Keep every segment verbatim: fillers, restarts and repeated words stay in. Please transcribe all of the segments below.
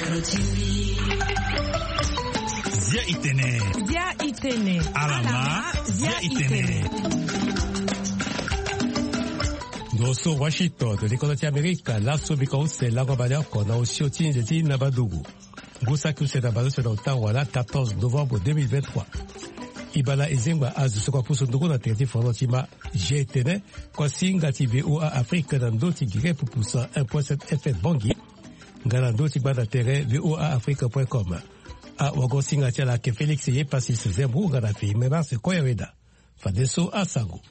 Zia itene. Zia itene. Alama. Zia itene. Noso Washington, likolo ti Amerika, laso biko use lango baleoko na osio ti nze ti Nabadugu. Ngu saki use na baleuse na ota wala quatorze novembre deux mille vingt-trois. Ibala ezengba azo soko apusu ndungu na tere ti foro ti ma. Zia itene, kuasinga ti VOA Afrique na ndo ti gere pupusa un point sept F M Bangui. Nga na ndo ti gba na tere V O A Afrique point com. Awagosinga ti ala ake Félix Yepasis Zembu nga na Fimena Sequoia Weda. Fadeso asango.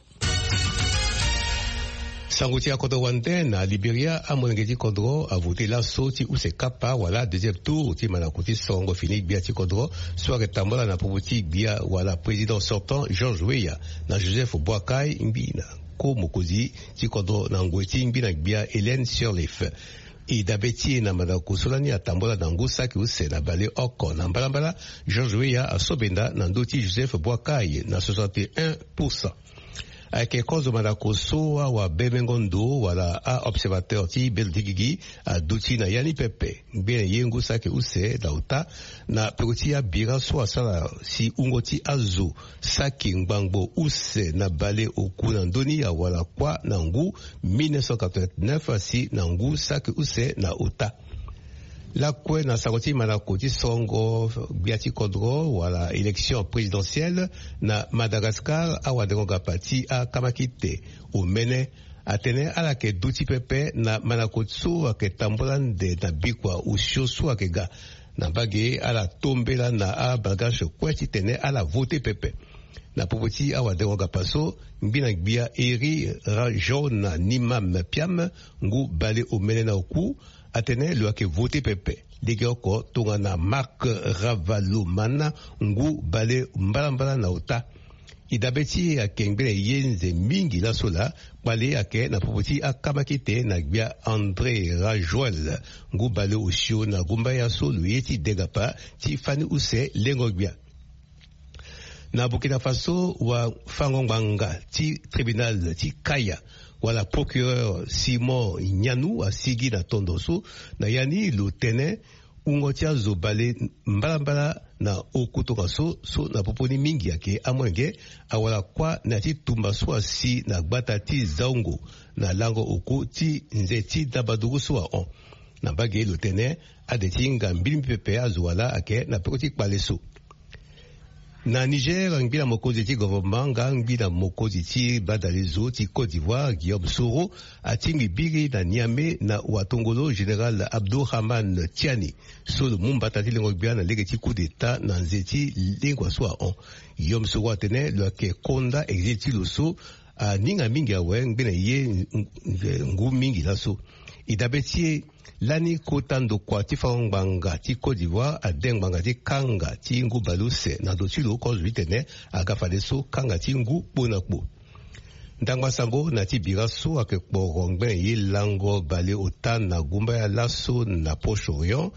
Sango ti akodro wande na Liberia, amolenge ti kodro avote laso ti use kapa wala deuxième tour ti mandako ti sorongo fini gbia ti kodro so ayeke tambula na popo ti gbia wala président sortant George Weah na Joseph Boakai ngbi na ko mokonzi ti kodro na ngoi ti ngbi na gbia Hélène Sirleaf. E dabe ti e na mandako so lani atambula na ngu saki use na baleoko na mbalambala, George Weah asobenda na ndö ti Joseph Boakai na soixante et un pour cent. Ayeke kozo mandako so awabemengo ndo wala a-observateur ti bendo ti gigi aduti na ya ni pepe. Ngbene ye ngu saki use na ota na peko ti abira so asara si wungo ti azo saki ngbangbo use na baleoku na ndö ni awara kuâ na ngu mille neuf cent quatre-vingt-neuf asi na ngu saki use na ota. Lakue na sango ti mandako ti sorongo gbia ti kodro wala élection présidentielle na Madagascar, awadengo gapa ti akamakite omene atene ala yeke duti pepe na mandako so ayeke tambula ande na bikua osio so ayeke ga. Na mbage ala tombela na abalgache kue titene ala vote pepe. Na popo ti awadengo gapa so, ngbi na gbia Eri Rajaona Nimam Piam, ngu baleomene na oku, atene lo yeke vote pepe. Legeoko tongana Marc Ravalomanana, ngu bale mbalambala na ota. E dabe ti e ayeke ngbene ye nze mingi laso laa, kpale ayeke na popo ti akamakite na gbia André Rajoel, ngu bale osio na gumbaya so lo ye ti de gapa ti fani use lengo gbia. Na Burkina Faso, wafango ngbanga ti tribunal ti Kaya wala procureur Simon Nyanou asigi na tondo so, na ya ni lo tene wungo ti azo bale mbalambala na oku tongaso so na popo ni mingi ayeke amolenge awara kuâ na ya ti tumba so asi na gbata ti Zaungo na lango oko ti nze ti Nabadugu so ahon. Na mbage lo tene ade ti hinga mbilimbi pepe azo wala ayeke na peko ti kpale so. Na Niger, ngbi na mokonzi ti gouvernement nga ngbi na mokonzi ti badalezo ti Côte d'Ivoire, Guillaume Soro, atingbi biri na Niamey na watongolo général Abdourahmane Tiani so lo mu mbata ti lengo gbia na lege ti coup d'état na nze ti lengua so ahon. Guillaume Soro atene lo yeke konda exil ti lo so aninga mingi awe ngbene ye ngu mingi laso. E dabe ti e lani kota ndokua ti fango ngbanga ti Côte d'Ivoire ade ngbanga ti kanga ti ngu baleuse na ndo ti lo kozo ti tene aga fadeso kanga ti ngu kpo na kpo. Ndangba sango na ya ti bira so ayeke kporo ngbene ye lango baleota na gumbaya laso na Proche-Orient.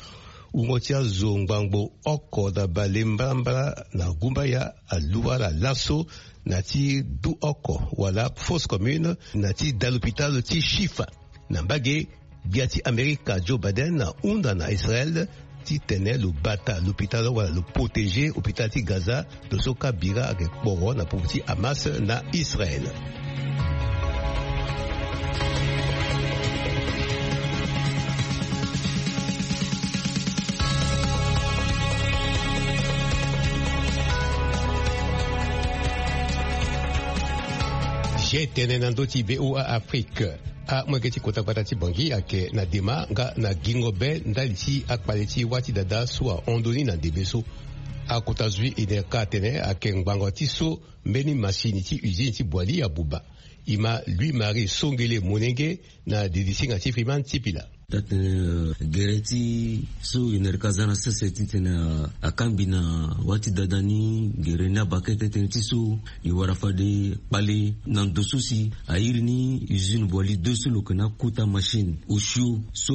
Wungo ti azo ngbangbo oko na bale mbalambala na gumbaya alu ala laso na ya ti du oko wala fausse commune na ya ti da lopitalo ti Shifa. Na mbage, gbia ti Amerika Joe Biden ahunda na Israel titene lo bata lopitalo wala lo protéger hôpital ti Gaza, lo so kâ bira ayeke kporo na popo ti Hamas na Israel. Zia tene na ndö ti V O A Afrique. Amolenge ti kota gbata ti Bangui ayeke na dema nga na gingo be ndali ti akpale ti wâ ti dada so ahon ndoni na ndembe so. Akota zui Enerca atene ayeke ngbanga ti so mbeni masini ti usine ti Boali abuba. E ma Louis Marie Songele Monenge na didi singa ti Freeman Tipila. Taa tene, eh, gere ti so Enerca aza na sese titene, eh, akangbi na wâ ti dada ni gere ni abakete tënë ti so e wara fade kpale na ndo so si airi ni usine Boali deux so lo yeke na akota machine osio so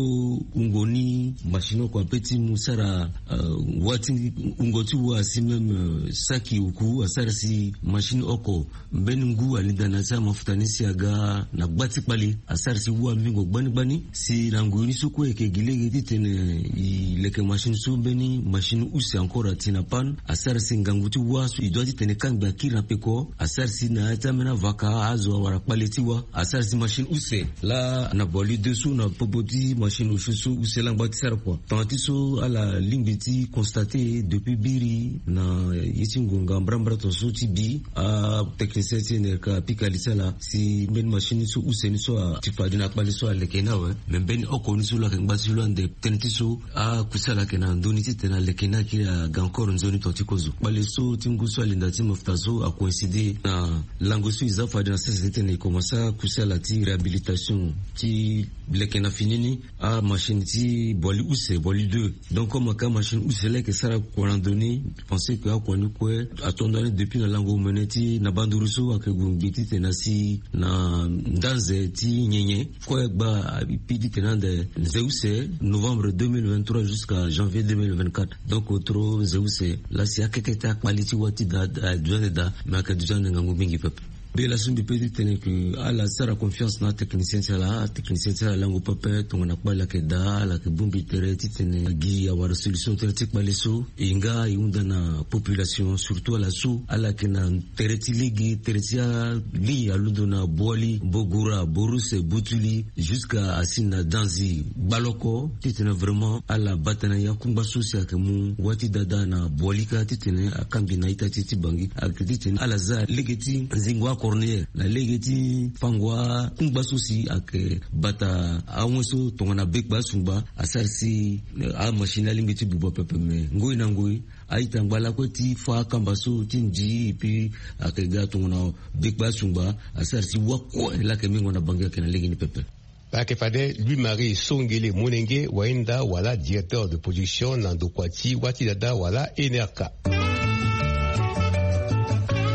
wungo ni machine oko ape ti mu sara, eh, wâ ti wungo ti wa si même, eh, saki oku asara si machine oko mbeni ngu alinda na ya ti amafuta ni si aga na gba ti kpale asara si wa mingo gbani gbani si lango Ni so kue eke gi lege titene e leke machine so mbeni machine use encore ati na panne, asara si ngangu ti wa so e dua titene kangbi akiri na peko. Asara si na ya ti ambeni avaka azo awara kpale ti wa. Asara si machine use laa na boli deux so na popo ti machine osio so use langba ti sara kua. Tongana ti so ala lingbi ti constate depuis biri na ye ti ngonga mbrambra tongaso ti bi, atechnicien ti enerka apika li ti ala si mbeni machine so use ni so ati fade na kpale so aleke ni awe. Me mbeni oko ni so lo yeke ngba ti lo ande tënë ti so akuse ala yeke na ndoni titene aleke ni akiri aga encore nzoni tonga ti kozo. Kpale so ti ngu so alinda ti mafuta so acoïncide na lango so e za fade na sese titene e komanse akuse ala ti réhabilitation ti leke na fini ni amachine ti boli use, boli deux. Donc comme aka machine use laa eke sara kua na ndoni, je pense que akua ni kue ato ndani depuis na lango omene ti na banduru so ayeke gue ngbi titene asi na ndanze ti nyenye. Kue gba api titene ande nze use novembre deux mille vingt-trois jusqu'à janvier deux mille vingt-quatre. Donc otro nze use laa si akete ti akpali ti wa ti da, eh, duti ande da, me ayeke duti ande ngangu mingi pepe. Be laso mbi pe titene ke ala sara confiance na atechnicien ti ala. Atechnicien ti ala lango pepe tongana kpali ayeke daa, ala yeke bongbi tere titene gi awara solution tere ti kpali so. E nga e hunda na population, surtout ala so ala yeke na tere ti lege, tere ti ali alondo na Boali, Bogura, Boruse, Butuli, jusqu'à asi na Danzi, Gbaloko, titene vraiment ala bata na ya kungba so si ayeke mu wa ti dada na Boali kâ titene akangbi na ita ti ti Bangui. Ayeke titene ala za lege ti zingo acornière na lege ti fango akungba so si ayeke bata awen so tongana bekpa asungba. Asara si, eh, amachine alingbi ti buba pepe, me ngoi na ngoi a-ita ngba lakue ti fa akamba so ti ndi, et puis ayeke ga tongana bekpa asungba. Asara si wa kue laa ayeke mingo na Bangui ayeke na lege ni pepe. Ayeke fade Louis Marie Songele Monenge, wahinda wala directeur de production na ndokua ti wa ti dada wala N R K.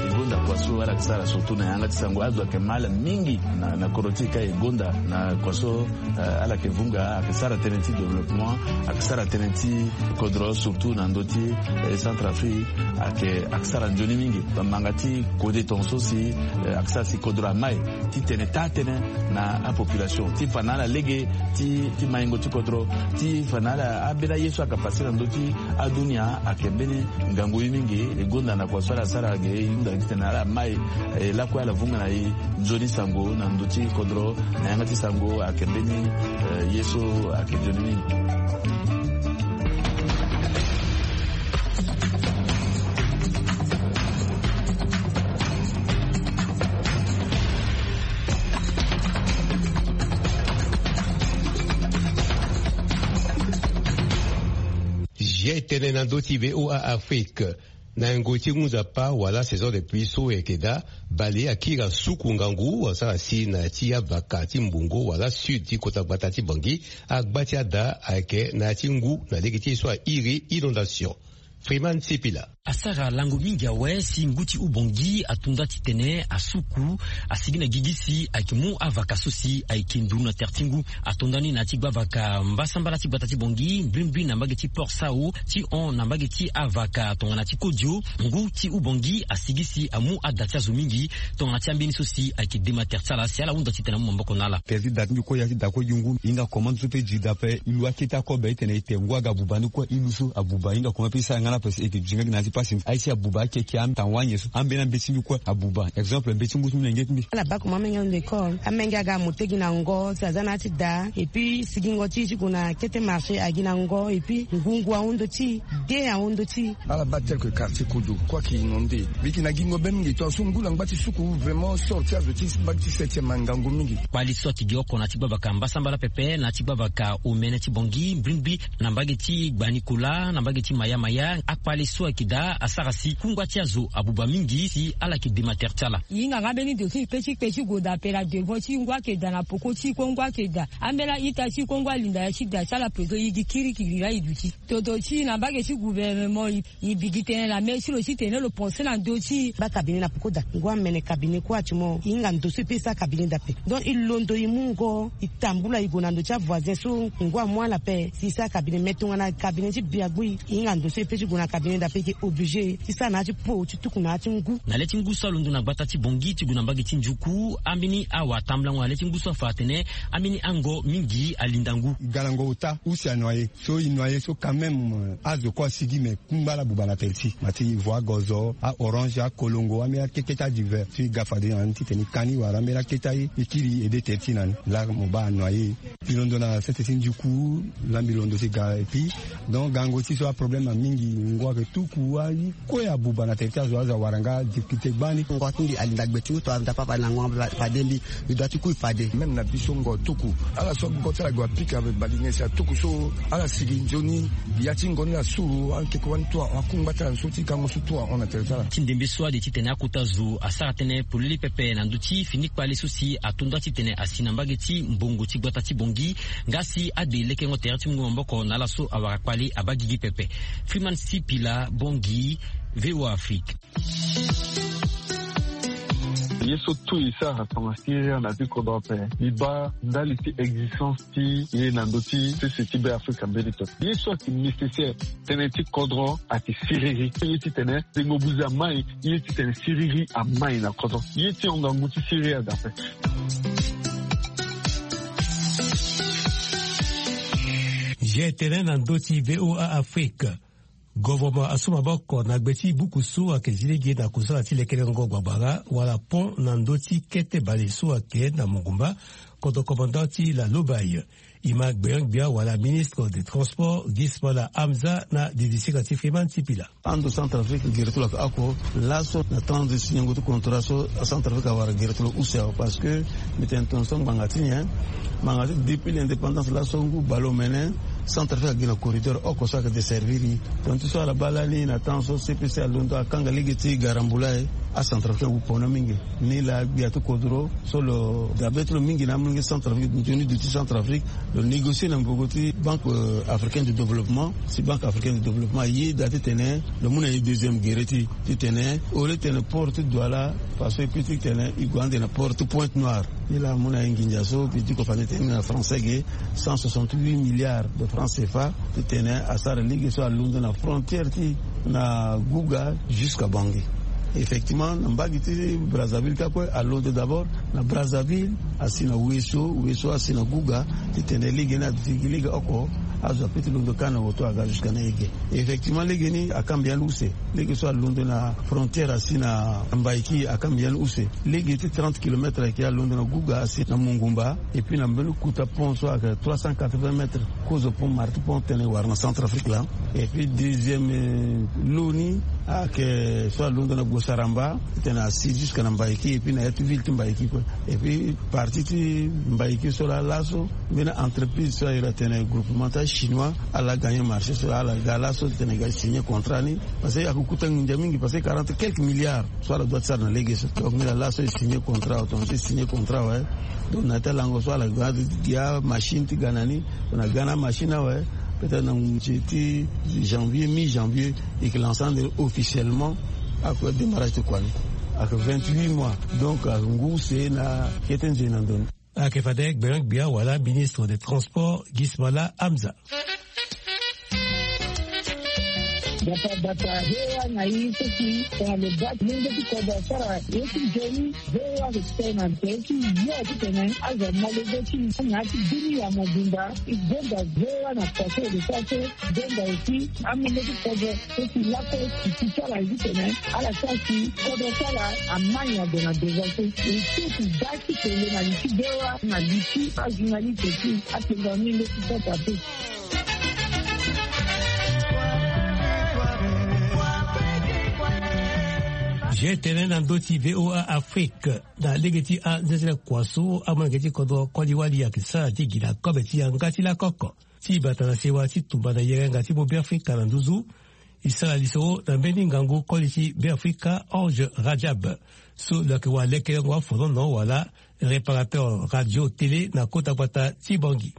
E gonda kua so ala yeke sara surtout na yanga ti sango, azo ayeke mal mingi na, na kodro ti e ka e gonda na kua so, eh, ala yeke vunga, ayeke sara tënë ti développement, ayeke sara tënë ti kodro surtout na ndö ti, eh, Centrafrique, ayeke, ayeke sara nzoni mingi. Bamanga ti kode tongaso si, eh, ayeke sara si kodro amai titene taa tënë na apopulation ti fa na ala lege ti, ti maingo ti kodro, ti fa na ala ambeni aye so ayeke pase na ndö ti adunia. Ayeke mbeni ngangu ye mingi. E gonda na kua so ala sara ge, e hunda titene ala mai, eh, lakue ala vunga na e nzoni sango na ndö ti kodro na yanga ti sango. Ayeke mbeni, eh, ye so ayeke nzoni mingi. Zia e tene na ndö ti V O A Afrique. Na yengo ti ngu nzapa wala saison de pluie so e yeke daa, bale akiri asuku ngangu, asara si na ya ti avaka ti mbongo wala sud ti kota gbata ti Bangui, agba ti ada ayeke na ya ti ngu na lege ti ye so airi inondation. Freeman Sipila. Asara lango mingi awe si ngu ti Ubangui ato nda titene asuku, asigi na gigi si ayeke mu avaka so si ayeke nduru na tere ti ngu. Ato nda ni na ya ti gbavaka mbasambala ti gbata ti Bangui, mbrimbri na mbage ti Port Sao, ti hon na mbage ti avaka tongana ti Kodio. Ngu ti Ubangui asigi si amu ada ti azo mingi tongana ti ambeni so si ayeke dema tere ti ala, si ala hunda titene amu maboko na ala. Tere ti da ti mbi kue, ya ti da kue gi ngu, e hinga comment so pe gi da ape, e lu akete akobe titene e te ngu aga buba ni kue, e lu so abuba, e hinga comment pe e sara nga na ape si e yeke duti nga gi na ya ti pasi. Aye si abuba akeke, ata wani nyen so, ambeni ambe ti mbi kue abuba. Exemple, mbe ti ngu ti mbi na nge ti mbi. Ala baa comment amenge alondo école, amenge aga amu te gi na ngo si aza na ya ti da, et puis sigingo ti e ti gue na kete marché agi na ngo, et puis ngungu ahon ndö ti e, de ahon ndö ti e. Ala baa tel que quartier Kodio kue ayeke inondé. Mbi yeke na gingo be mingi, tongaso ngu na ngba ti suku, vraiment sort ti azo ti mbage ti septième angangu mingi. Kpali so ayeke gi oko na ya ti gbavaka mbasambala pepe na ya ti gbavaka omene ti Bangui, mbrimbri na mbage ti Gbanikola, na mbage ti Maya Maya, akpali so ayeke daa asara si kungba ti azo abuba mingi si ala yeke dema tere ti ala. E hinga nga mbeni ndo so e pe ti kpe ti gue daa ape, la devant ti ngu ayeke daa, na peko ti e kue ngu ayeke daa. Ambeni a-ita ti e kue ngu alinda ya ti daa ti ala, peko e gi kirikiri laa e duti. Toto ti e na mbage ti gouvernement, e, e bi gi tënë na mê ti lo titene lo pense na ndö ti e. Baa cabinet na peko daa, ngu amene cabinet kue ati mo, e hinga ndo so e pe e sara cabinet daa ape. Donc e londo e mu ngo, e tambula e gue na ndo ti avoisin so ngu amu ala ape si e sara cabinet. Me tongana cabinet ti biagbu e, e hinga ndo so e pe ti gue na cabinet daa ape, e ke o. Obligé ti sara na ya ti po ti tuku na ya ti ngu. Na le ti ngu so alondo na gbata ti Bongi ti gue na mbage ti Njuku, ambeni awa tambulango na le ti ngu so afa atene ambeni ango mingi alinda ngu. Galango ota use anoye so inoye so quand même, azo kue asigi me kungba ala buba na tere ti ma ti ivoire gozo a orange akolongo ambeni akete ti adiver so e ga fade na ni titene e ka ni wala ambeni akete aye e kiri ede tere ti na ni. Laa mo baa anoye. Mbi londo na sese ti Njuku. Laa mbi londo ti ga et puis donc gango ti so aproblème amingi. Ngu ayeke tuku aye kue abuba na tere ti azo azo awara nga difficulté gbani. Ngo ti mbi alinda gbe ti uto alinda papa na ngo fade mbi. Mbi doit ti kui fade. Même na biso ngo tuku ala so agu go ti ala gue apika avec balinge si atuku so ala sigi nzoni. Ya ti ngo ni la suru ankeko wani tu ahon akungba ti ala so ti gango so tu ahon na tere ti ala. Ti ndembe so ade titene akota zo asara tënë polele pepe na ndö ti fini kpale so si atonda titene asi na mbage ti mbongo ti gbata ti Bongi. Nga si ade lekengo tere ti mungo maboko na ala so awara kpale abaa gigi pepe. Freeman Sipila, Bongi, VOA Afrique. Ye so tu e sara tonga siriri na ti kodro ape. E baa ndali ti existence ti ye na ndö ti sese ti Be Afrika mbeni pepe. Ye so ayeke nécessaire tënë ti kodro ayeke siriri. Ye titene tengo buze amai. Ye titene siriri amai na kodro. Ye ti hon ngangu ti siriri aga ape. Ye tene na ndö ti VOA Afrique. Governement asu maboko na gbe ti buku so ayeke zi lege na kusala ti lekerengo gbagba wala pont na ndö ti kete bale so ayeke na Mongumba, kodro commandant ti la Lobaye. E ma gbia gbia wala ministre des transports Gismala Hamza na didisika ti Freeman Sipila. Ando Centrafrique gere ti lo ayeke oko. Laso na temps ti signango ti contrat so Centrafrique awara gere ti lo use awe parce que mbi tene tongaso ngbanga ti nyen? Ngbanga ti depuis l'indépendance laso ngu baleomene Centrafrique agi na corridor oko so ayeke desservir e. Tonga ti so ala baa lani na temps so C P C alondo akanga lege ti garambula e. Acentrafricain awu pona mingi. Ni laa gbia ti kodro so lo dabe ti lo mingi na amolenge Centrafrique nzoni duti Centrafrique. Lo négocier na mbogo ti Banque Africaine de Développement. Si Banque Africaine de Développement ayeda titene lo mu na e deuxième gere ti titene au lieu titene port ti Douala façon e kue titene e gue ande na port ti Pointe-Noire. Ni laa amu na e nginza so mbi diko fa ni tene na français ge cent soixante-huit milliards de francs C F A titene asara lege so alondo na frontière ti na Gouga jusqu'à Bangui. Effectivement na mbage ti Brazzaville ka kue alondo d'abord na Brazzaville asi na Ouesso, Ouesso asi na Gouga titene lege ni aduti gi lege oko azo ape ti londo kâ na woto aga jusqu'à na e ge. Effectivement lege ni akamba yani use. Lege so alondo na frontière asi na Mbaïki akamba yani use. Lege ti trente kilomètres ayeke alondo na Gouga asi na Mongumba. Et puis na mbeni kuta pont so ayeke trois cent quatre-vingts mètres kozo pont marti pont tene wara na Centrafrique laa. Et puis deuxième lo ni ayeke so alondo na Gosaramba titene asi jusqu'à na Mbaïki et puis na ya ti ville ti Mbaïki kue. Et puis partie ti Mbaïki so laa laso mbeni entreprise so ayeke tene groupement ti achinois ala gagner marché so ala ga laso titene e ga signer contrat ni. Parce que ayeke kuta nginza mingi parce que quarante quelques milliards so ala doit ti sara na lege so. Donc ni laa laso e signer contrat awe tonga so e signer contrat awe. Donc na ya ti alango so ala ga gi amachine ti ga na ni. Donc na ga na amachine awe peut-être na ngu ti janvier mi janvier e yeke lancer ande officiellement. Ayeke démarrage ti kua ni ayeke vingt-huit mois. Donc ayeke ngu use na kete nzoni na ndo ni. Ayeke fade gbengbe gbia wala ministre des transports Gismala Hamza. Bata bata hewa na i seki tongana lo baa ti lenge ti kodro asara ye ti nzoni. Hewa ayeke tene na nze ti yo titene azo amolenge ti na ya ti bini ya mobimba. E gonda hewa na pase de sa so gonda aussi amolenge ti kodro. Ti lako ti ti ti ala ye ti tene ala sara si kodro ti ala amai ade na deza so. E so ti da ti tene na li ti bewa na li ti ajournaliste ti atenda ni nde ti sota te. Ge tene na ndö ti VOA Afrique na lege ti anzenze kua so amolenge ti kodro koli wali ayeke sara ti gi na kobe ti yanga ti lakoko. Ti bata na sewa ti tumba na yerenga ti Beafrika na nduzu. E sara lisoro na mbeni ngangu koli ti Beafrika Ange Rajab so lo yeke wara lekerengo afonono wala réparateur radio télé na kota gbata ti Bangui.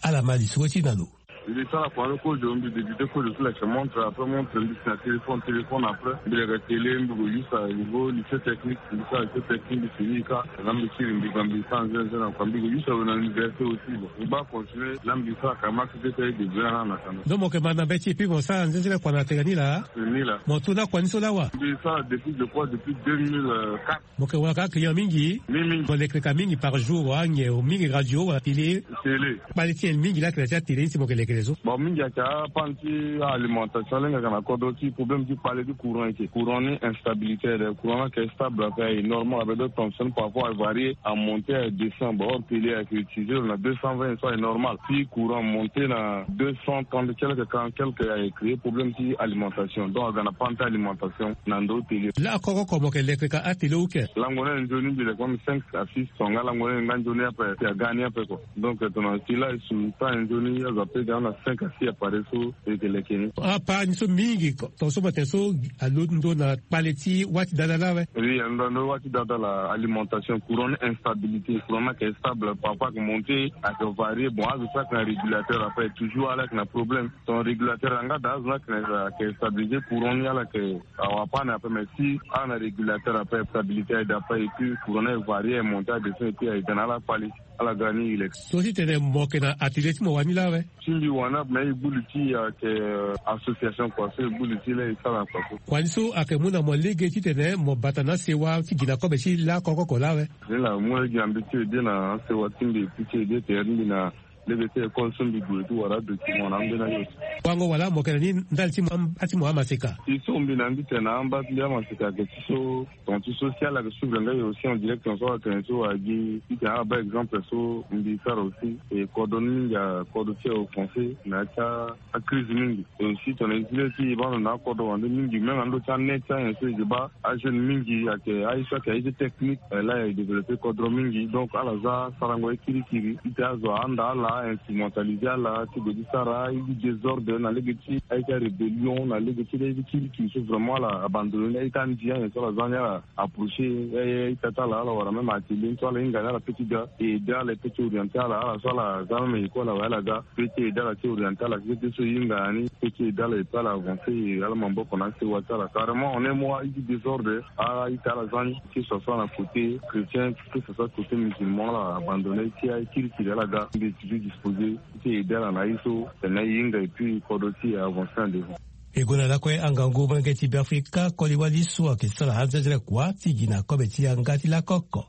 Ala ma lisoro ti na lo. Mbi sara kua ni kozo, mbi débute kozo ti leke montre, après montre mbi si na téléphone, téléphone après mbi leke télé, mbi ko use à niveau lycée technique, mbi sara lycée technique, mbi fini ka. Na mbi siri mbi ga mbi sara nzenze na kua, mbi ko use awe na université aussi. Bon, mbi baa continuer na mbi sara ka, max deux ta ye début na na kana. Donc mo yeke ma na mbeti et puis mo sara nzenze na kua na tene ni laa. Ni laa. Mo tu na kua ni so laa wa? Mbi sara depuis, je crois, depuis deux mille quatre. Mo yeke wara ka client mingi? Mingi mingi. Mo leke ka mingi par jour wa? Nyen mingi, radio wala télé? Télé. Kpale ti nyen mingi laa ayeke na ya ti atélé ni si mo yeke leke so? Bon, mingi ayeke apanne ti alimentation, lenge ayeke na kodro ti problème ti kpale ti courant eke. Courant ni instabilité aye, courant ni ayeke stable ape, aye normal ape, donc tension parfois avarié, amonté, adescend. Bon, or télé ayeke utiliser lo na deux cent vingt so aye normal. Si courant amonté na deux cent trente quelque, quarante quelque, aye créer problème ti alimentation, donc aga na panne ti alimentation na ndo télé. Laa koko oko mo yeke leke ka atélé ou ke? Lango ni aye nzoni mbi leke même cinq à six tonga, lango ni aye nga nzoni ape, si aga ni ape kua. Donc tongana si laa e su ta aye nzoni azo ape ga na cinq à six appareil so e yeke leke ni. Apanne so mingi ko, tonga so mo tene so alondo na kpale ti wâ ti dada laa awe? Oui, alondo na wâ ti dada laa, alimentation, courant ni instabilité, courant ni ayeke stable, parfois ayeke monté, ayeke varié. Bon, azo so ayeke na régulateur ape toujours ala yeke na problème. Ton régulateur yanga daa, azo ni ayeke na, ayeke stabilisé, courant ni ala yeke awa panne ape, mais si ala na régulateur ape, stabilité aye daa ape, et puis courant ni aye varié, aye monté, adescend, et puis aye ga na ala kpale, ala ga ni e leke. So ti tene mo yeke na atelier ti mo wani laa awe? Ti mbi wani ape, mais e gbu li ti e ayeke, euh, association kua so e gbu li ti laa e sara na kua so. Kua ni so ayeke mu na mo lege titene mo bata na asewa ti gi na kobe ti lakoko oko laa awe? Ni laa mu lege na mbi ti ede na asewa ti mbi, ti ede tere ti mbi na lege ti école so mbi gue ti wara adocument na ambeni aye so. Wango wala mo yeke na ni ndali ti mo am-, ti mo amaseka? Si so mbi na mbi tene na amba ti mbi amaseka ayeke ti so, tonga ti so si ala yeke suivre nga e aussi en direct, tonga so ala tene so agi, titene ala baa exemple so mbi sara aussi. E kodro ni mingi akodro ti offensé na ya ti a, acrise mingi. Et aussi tongana e zi lê ti e baa ndo na akodro wande mingi, même na ndö ti anet ti anyen so e yeke baa ajeune mingi ayeke, aye so ayeke aye ti technique, eh, laa e développé kodro mingi. Donc ala za sarango ye kirikiri titene azo ahanda ala, instrumentalisé ala ti gue ti sara aye ti désordre na lege ti aye ti arébellion, na lege ti aye ti kirikiri so vraiment ala abandonné ni. Aye ti andi anyen so ala za ni, ala approché aye, aye ti ata ala, ala wara même atelier ni so ala hinga ni, ala peut ti ga e aidé ala, e peut ti orienté ala, ala so ala za même école awe ala ga. Pe ti aidé ala ti orienté ala, keke ti so e hinga na ni, pe ti aidé ala, e pe ala avancé, e ala maboko na asewa ti ala. Carrément, en un mois, aye ti désordre, a, aye ti ala za ni, que ce soit na côté chrétien, que ce soit côté musulman, ala abandonné, ti aye kirikiri ala ga, mbi toujours disposé ti aidé ala na aye so tene e hinga, et puis kodro ti e avancé na devant. E gue na lakue angangu molenge ti Beafrika koli wali so ayeke sara anzenzele kua ti gi na kobe ti yanga ti lakoko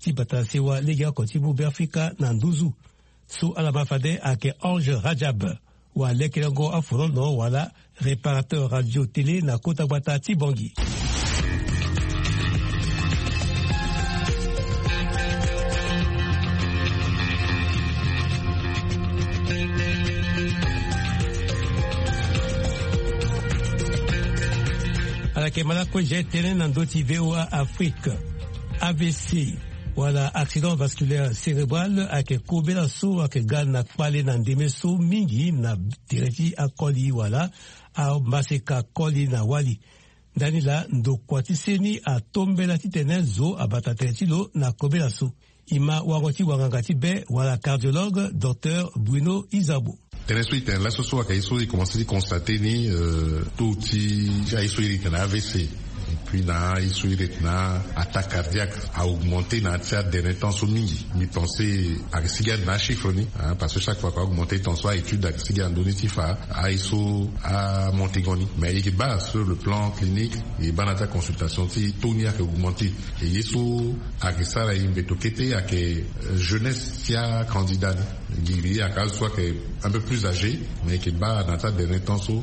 ti bata sewa legeoko ti mu Beafrika na nduzu. So ala ma fade ayeke Ange Rajab, walekerengo afolono wala réparateur radio télé na kota gbata ti Bangui. Ala yeke ma lakue zia tënë na ndö ti V O A Afrique. A V C, wala accident vasculaire cérébral, ayeke kobela so ayeke ga na kpale na ndeme so mingi na tere ti akoli wala amaseka koli na wali. Ndani laa ndokua ti seni atombela titene zo abata tere ti lo na kobela so. E ma wango ti wanganga ti be wala cardiologue, docteur Bruno Izabo. Tënë so e tene laso so ayeke ye so e commencé ti constaté ni, euh, taux ti, ti aye so iri tene A V C, et puis na aye so iri tene attaque cardiaque a augmenté na ya ti aderni temps so mingi. Mbi pensé ayeke sigi ade na achiffre ni, hein, parce que chaque fois que a augmenté temps so a-étude ayeke sigi na ndö ni ti fa aye so amonté ngo ni. Mais e yeke baa sur le plan clinique, e baa na ya ti aconsultation ti taux ni ayeke augmenté. E ye so ayeke sara e mbeto kete ayeke, euh, jeunesse ti acandidat ni. Giri ayeke azo so ayeke un peu plus âgé, mais e yeke baa na ya ti aderni temps so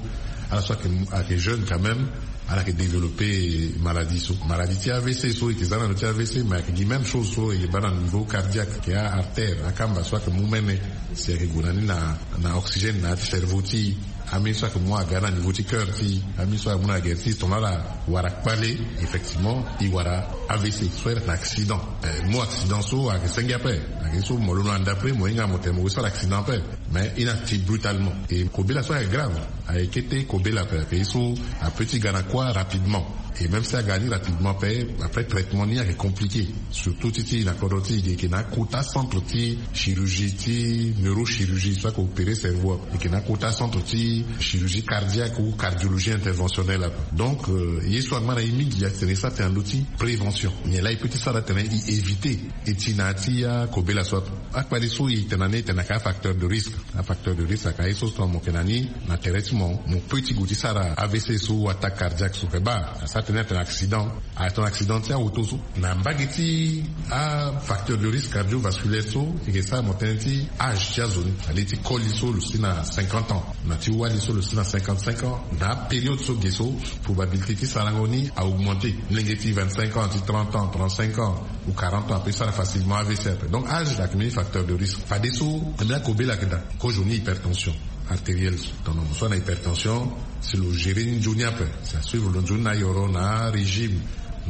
ala so ayeke, ayeke jeune quand même, ala yeke développé maladie so. Maladie ti A V C so e yeke za na ndö ti A V C, mais ayeke gi même chose so e yeke baa na niveau cardiaque, ayeke a-artère, akamba so ayeke mu mene, si ayeke gue na ni na, na oxygène na ya ti cerveau ti e. Ambeni so ayeke mu aga na niveau ti cœur ti e, ambeni so ayeke mu na gere ti e, tongana ala wara kpale, effectivement e wara A V C so ayeke na accident. Eh, mu accident so ayeke senge ape, ayeke so mo londo na ndapre mo hinga mo tene mo sara accident ape. Mais e na ti brutalement. E kobela so ayeke grave, ayeke kete kobela ape, ayeke ye so apeut ti ga na kuâ rapidement. Et même si aga ni rapidement pe, après traitement ni ayeke compliqué. Surtout ti ti na kodro ti e ge yeke na akota centre ti chirurgie ti neurochirurgie so ayeke opéré cerveau ape, e yeke na akota centre ti chirurgie cardiaque ou cardiologie interventionnelle ape. Donc ye so angba na e mingi atene e sara tene na ndö ti prévention, nyen laa e peut ti sara tene e éviter e ti na ya ti akobela so ape. Akpale so e tene na ni e tene ayeke afacteur de risque. Afacteur de risque ayeke aye so so mo yeke na ni na tere ti mo mo peut ti gue ti sara avc so ou attaque cardiaque so. Pe baa asara tene atene accident, atene accident ti aoto so. Na mbage ti afacteur de risque cardiovasculaire so e yeke sara mo tënë ti âge ti azo ni. Alingbi ti koli so lo si na cinquante ans, na ti wali so lo si na cinquante-cinq ans. Na apériode so ge so probabilité ti sarango ni a augmenté. Molenge ti vingt-cinq ans, ti trente ans, trente-cinq ans ou quarante ans ape sara facilement avc ape. Donc âge ayeke mbeni facteur de risque. Fadeso ambeni akobela ayeke daa. Kozo ni hypertension artérielle so, tongana mo so ana hypertension, si lo gérer ni nzoni ape, si asuivre lo nzoni na ayoro na arégime,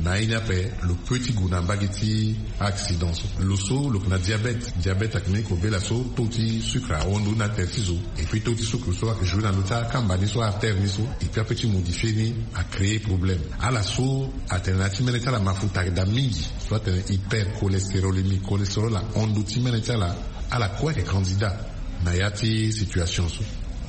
na aye ni ape lo peut ti gue na mbage ti accident so. Lo so lo yeke na diabète. Diabète ayeke mbeni kobela so taux ti sucre ahon ndo ni na tere ti zo. Et puis taux ti sucre so ayeke jouer na ndö ti akamba ni so, artère ni so. Et puis apeut ti modifier ni, acréer problème. Ala so atene na ya ti mene ti ala mafuta ayeke daa mingi, so atene hypercholestérolémie, cholestérol ahon ndo ti mene ti ala. Ala kue ayeke candidat na ya ti situation so.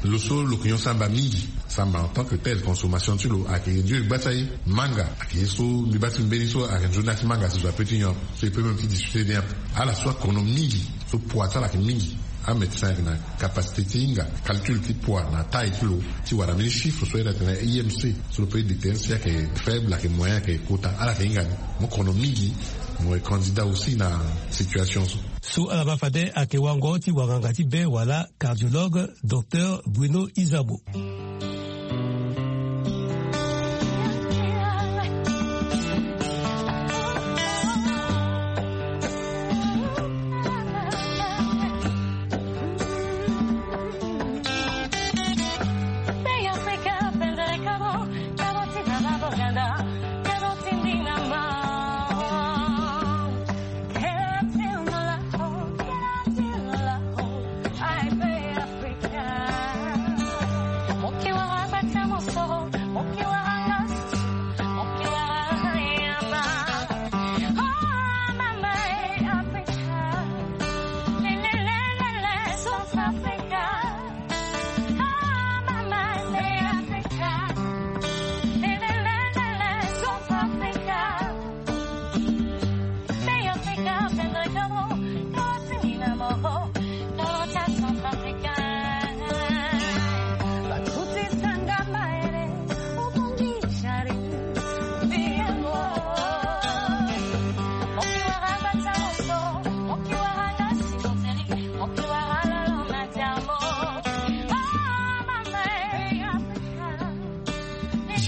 Lo so lo yeke nyon samba mingi, samba en tant que tel, consommation ti lo ayeke nzoni gba ti aye. Manga ayeke ye so mbi baa ti mbeni so ayeke nzoni na ya ti manga si zo apeut ti nyon ape. So e peut même ti discuter ni ape. Ala so akono mingi, so poids ti ala ayeke mingi, amédecin ayeke na capacité ti hinga calcul ti poids na taille ti lo, ti wara mbeni chiffre so ayeke na I M C, so lo peut déterminer si ayeke faible, ayeke moyen, ayeke kota. Ala ayeke hinga ni. Mo kono mingi, mo yeke candidat aussi na situation so. So ala baa fade ayeke wango ti wanganga ti be wala cardiologue, docteur Bruno Izabo.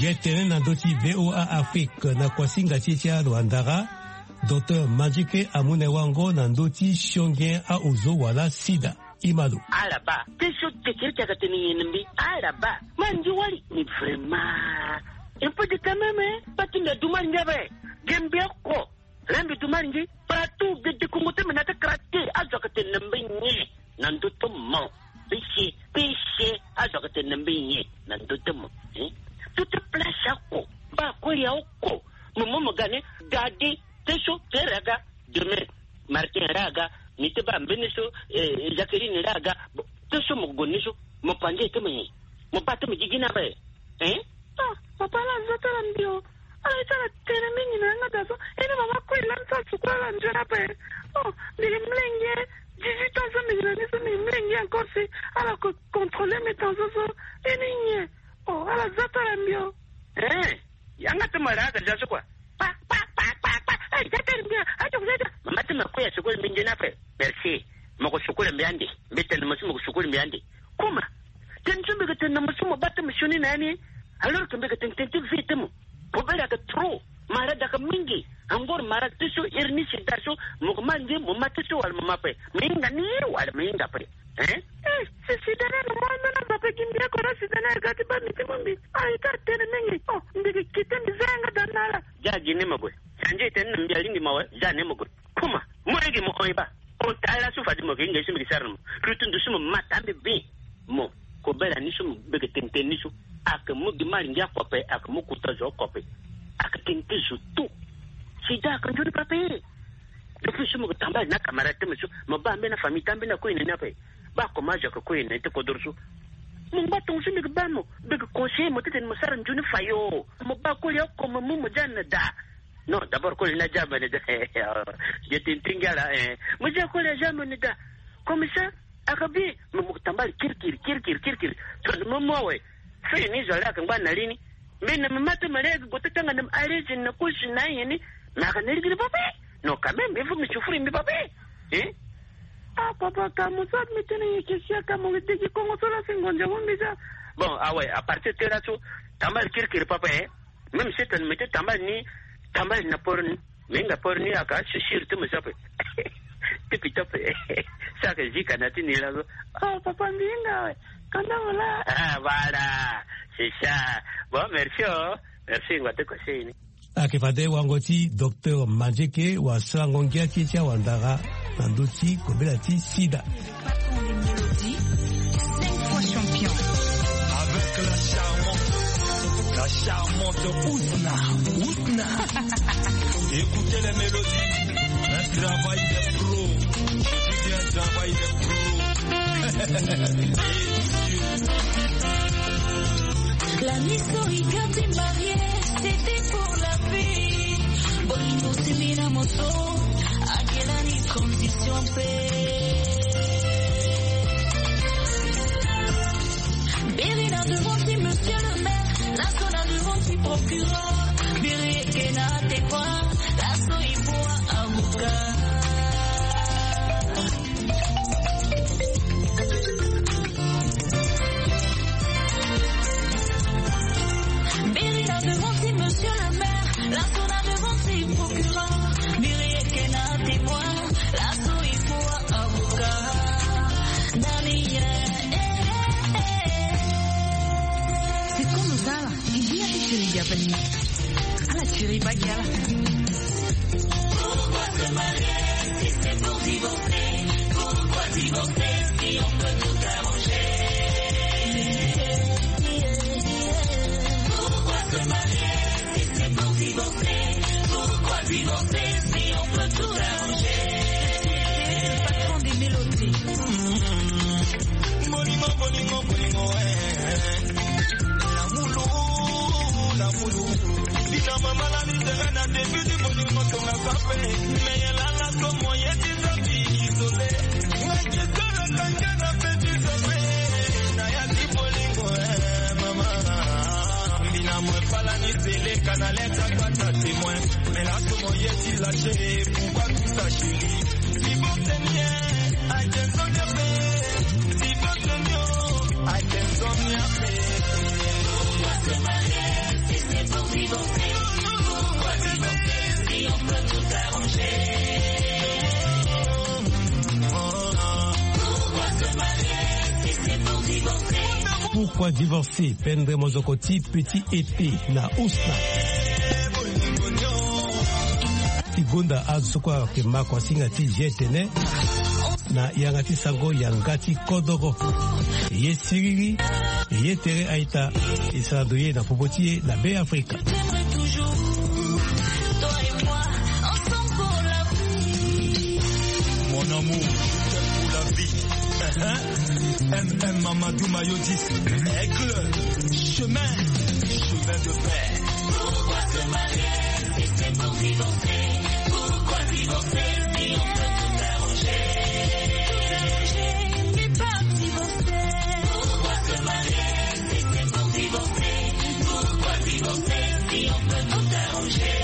Ye tene na ndö ti V O A Afrique na kuasinga ti e ti alo andara, docteur Mandjike amu na e wango na ndö ti sionge aozo wala sida. Imalo. Ala baa. Te so tekere ti ayeke tene nyen na mbi. Ala baa. Ma nzi wali. Mais vraiment. Un peu de quand même, hein. Ba ti mbi adu mali ngia be. Ge mbi oko. Laa mbi du mari ngi. Partout gede kongo ti mbi na ti kara te. Azo ayeke tene na mbi nyen na ndö ti mo? Péché, péché. Azo ayeke tene na mbi nyen na ndö ti mo? Hein? Tout ti place oko. Mba kue ya oko. Mo mo mo ga ni. Gade. Te so te re aga. Demain Martin re aga. Ni te baa mbeni so. Eh, Jacqueline re aga. Bon, te so mo gue ni so. Mo panze ti mo nyen? Mo baa ti mo gigi ni ape. Hein? Ah, papa, ala za ti ala mbi o. Ala ye ti ala tene mingi na yanga daa so. E ni mama kue e lani ti ala sukulu ala nzoni ape. Oh, mbi yeke mlenge. Dix-huit ans so mbi yeke na ni so mbi yeke mlenge encore si ala ko contrôler mes tensions so. E ni nyen? Oh, ala za ti ala mbi o. Eh, yanga ti mo re aga ja so kua. Pa, pa, pa, pa, pa. Eh, ja ti ala mbi o. Adio, adio. Mama ti mo kue ya sukulu mbi nzoni ape. Merci. Mo ko sukulu mbi ande. Mbi tene mo so mo ko sukulu mbi ande. Kuma. Tene so mbi yeke tene na mo so mo baa ti mo sioni na ya ni. Alors que mbi yeke tene tene ti vie ti mo. Kobela ayeke trop. Malade ayeke mingi. Angor malade ti so, hernie, sida so. Mo yeke ma nze mo ma ti so wala mo ma ape? Mo hinga ni wala mo hinga ape? Hein? Eh, si sida ni ayeke mo ambeni azo ape gi mbi oko na sida ni ayeke ga ti baa mbi ti mu mbi. Ah, e ti atene mingi. Oh, mbi yeke kite mbi za yanga daa na ala. Ja gi ni mo gue. Sanzi e tene na mbi alingbi mo awe. Ja ni mo gue. Kuma, mo yeke mo hon e baa. Ota laso fade mo yeke hinga ye so mbi yeke sara na mo. Lutu ndo so mo ma taa mbi bien. Mo, kobela ni so mo beke tene tene ni so. Ayeke mu gi mari ngia oko ape, ayeke mu kota zo oko ape. Aka tene ti zo to. Sida aka nzoni papa e. Depuis so mo ke tambala na camarade ti mo so, mo baa mbeni afamille ti ambeni akue na ni ape. Baa comment age aka kue na ni ti kodoro so. Mo ngba tongo so mbi ke baa mo, mbi ke conseiller mo titene mo sara nzoni fayo. Mo baa koli oko mo mu mo ja na da. Non, d'abord koli ni aja mo na da. Ge ti ntingi ala eh. Mo ja koli aja mo na da. Comme ça, aka bi, mo mo ke tambala kirikiri kirikiri kirikiri. Tongana mo mu awe. Fini zo ale aka ngba na li ni. Mbi na mama ti mo ale aka gue ti tanga na mo à l'aise na kosi na aye ni. Mais aka na ligiri papa e. Non, quand même il faut mo souffrir mbi papa e. Hein? Ah papa, ka mo so mbi tene ye ke sia ka mo ke degi kongo so la si ngonza mo mbi za. Bon, awe, à partir ti laso, tambala kirikiri papa e. Même si tene mbi ti tambala ni, tambala na poro ni. Mbi hinga poro ni aka si siri ti mo so ape. Ti pito ape. So aka zi ka na ti ni laso. Oh papa, mbi hinga awe. Kanda mo la. Ah voilà. C'est ça. Bon, merci oh. Merci ngba ti conseil ni. Ayeke fade wango ti docteur Manzeke wasarango ngia ti e ti awandara na ndö ti kobela ti sida. Patron des mélodies, cinq fois champion. Avec la charmante, la charmante Ousna. Ousna. Écoutez les mélodies. Un travail de pro. Je dis bien un travail de pro. La miso ikati marié, c'était pour la vie. Bolingo simina moto, akelani condition pe. Beri na devant ti monsieur le maire, laso na devant ti procureur. Beri eke na te quoi, laso ipoa avocat. Beri na devant ti monsieur le maire, laso na devant ti procureur. Beri eke na témoin, laso ipoa avocat. Dani, eh, eh, eh, eh. C'est comme ça là. Pourquoi se marier si c'est pour divorcer? Pourquoi divorcer si on peut tout arranger? Pourquoi se marier si c'est pour divorcer? Pourquoi divorcer si on peut tout arranger? Patron des mélodies. Bolingo, bolingo, bolingo, eh. Lamulu, lamulu. Bina mama la misere na début du bolingo tonga sape. Mais la la so moyen ti sabi isolé. Ngai ke sala kanga na pe ti sape. Na ya ti bolingo, eh, mama. Bina mo pala ni sele kana leta kwa ta témoin. Mais la so moyen ti lâché. Pourquoi tout ça, chérie? Pourquoi divorcer? Pendre mozoko ti petit été na Ousna. Ti gonda azo so kue ayeke ma kua singa ti G T N na yanga ti sango yanga ti kodoro. Ye siriri, ye tere aita, e sara ndo ye na popo ti e na Be Afrika. Mon amour, je t'aime pour la vie. M M Mamadou Mayodis, aigle, chemin, chemin de fer. Pourquoi se marier si c'est pour divorcer? Pourquoi divorcer si on peut tout arranger? Tout arranger, mais pas divorcer. Pourquoi se marier si c'est pour divorcer? Pourquoi divorcer si on peut tout arranger?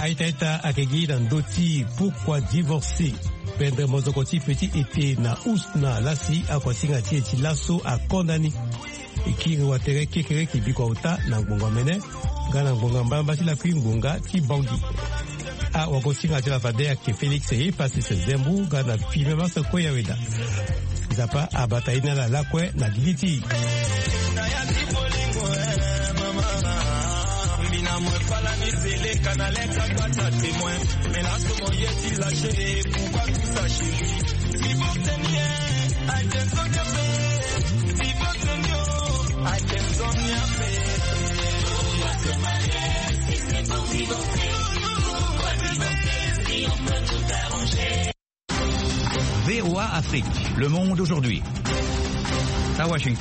Aita aita ayeke gi na ndö ti pourquoi divorcer. Pendre mozoko ti petit été na Ousna lasi akuasinga ti e ti laso akonda ni. E kiri watere kekereke bikua ota na ngbongo amene. Nga na ngbonga mbalamba ti lakui ngbonga ti bongi. Awagosinga ti lafade ayeke Félix Eyepassis Zembu nga na fimem aso kue ya weda. Nzapa abata ye na ala lakue na gigi ti e. V O A Afrique, le monde aujourd'hui. À Washington.